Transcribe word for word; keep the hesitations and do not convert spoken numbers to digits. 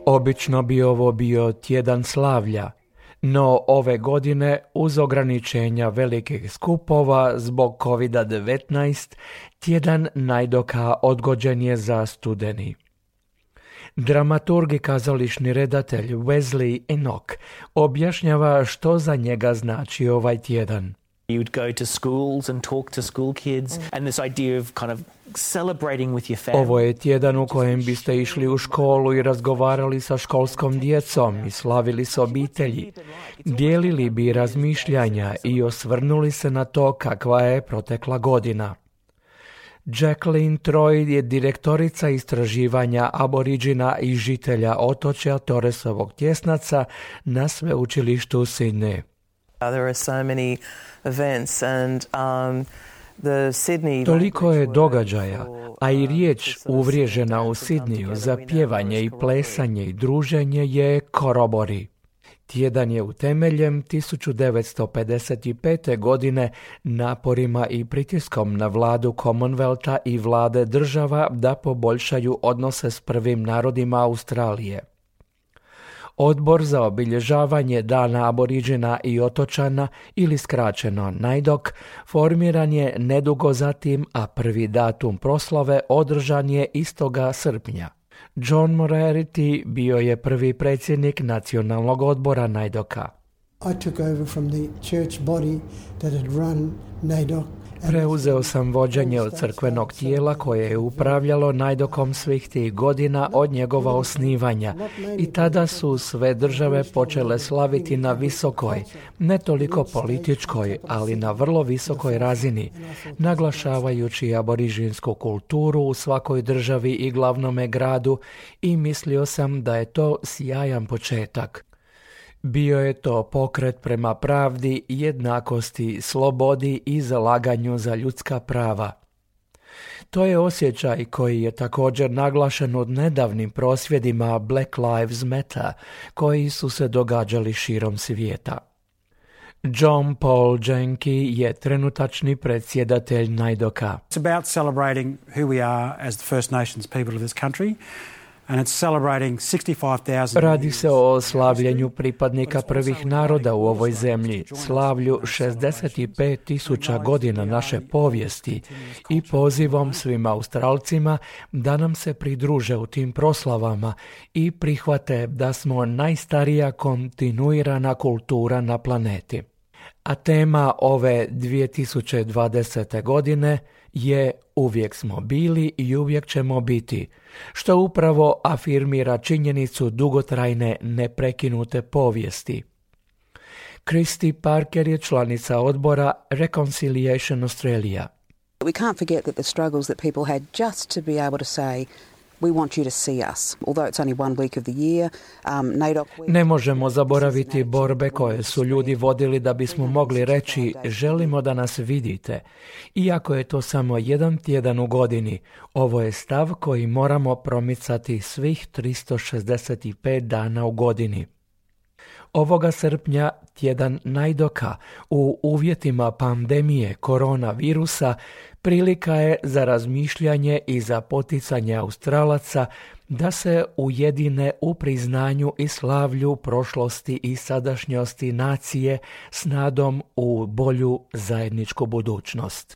Obično bi ovo bio tjedan slavlja, no ove godine uz ograničenja velikih skupova zbog kovid devetnaest tjedan Najdoka odgođen je za studeni. Dramaturg i kazališni redatelj Wesley Enoch objašnjava što za njega znači ovaj tjedan. You would go to schools and talk to school kids and this idea of kind of celebrating with your family. Ovo je tjedan u kojem biste išli u školu i razgovarali sa školskom djecom i slavili s obitelji. Dijelili bi razmišljanja i osvrnuli se na to kakva je protekla godina. Jacqueline Troy je direktorica istraživanja aboriđina i žitelja otočja Torresovog tjesnaca na sveučilištu u Sydney. There are so many events and um, the Sydney... Toliko je događaja, a i riječ uvriježena u Sidneju za pjevanje i plesanje i druženje je korobori. Tjedan je utemeljen tisuću devetsto pedeset pete. godine naporima i pritiskom na vladu Commonwealtha i vlade država da poboljšaju odnose s prvim narodima Australije. Odbor za obilježavanje Dana aboriđina i otočana, ili skraćeno Najdok, formiran je nedugo zatim, a prvi datum proslave održan je istoga srpnja. John Moriarty bio je prvi predsjednik nacionalnog odbora Najdoka. I took over from the church body that had run Najdok. Preuzeo sam vođenje od crkvenog tijela koje je upravljalo Najdokom svih tih godina od njegova osnivanja i tada su sve države počele slaviti na visokoj, ne toliko političkoj, ali na vrlo visokoj razini, naglašavajući aborižinsku kulturu u svakoj državi i glavnome gradu, i mislio sam da je to sjajan početak. Bio je to pokret prema pravdi, jednakosti, slobodi i zalaganju za ljudska prava. To je osjećaj koji je također naglašen od nedavnim prosvjedima Black Lives Matter, koji su se događali širom svijeta. John Paul Jenke je trenutačni predsjedatelj Najdoka. It's about celebrating who we are as the First Nations people of this country. And it's celebrating sixty-five thousand. Radi se o slavljenju pripadnika prvih naroda u ovoj zemlji, slavlju šezdeset pet tisuća godina naše povijesti i pozivom svim Australcima da nam se pridruže u tim proslavama i prihvate da smo najstarija kontinuirana kultura na planeti. A tema ove dvije tisuće dvadesete. godine je uvijek smo bili i uvijek ćemo biti, što upravo afirmira činjenicu dugotrajne neprekinute povijesti. Christy Parker je članica odbora Reconciliation Australia. We can't forget that the struggles that people had just to be able to say we want you to see us. Although it's only one week of the year, um, Najdok... Ne možemo zaboraviti borbe koje su ljudi vodili da bismo mogli reći želimo da nas vidite. Iako je to samo jedan tjedan u godini, ovo je stav koji moramo promicati svih tristo šezdeset pet dana u godini. Ovoga srpnja tjedan Najdoka u uvjetima pandemije koronavirusa prilika je za razmišljanje i za poticanje Australaca da se ujedine u priznanju i slavlju prošlosti i sadašnjosti nacije s nadom u bolju zajedničku budućnost.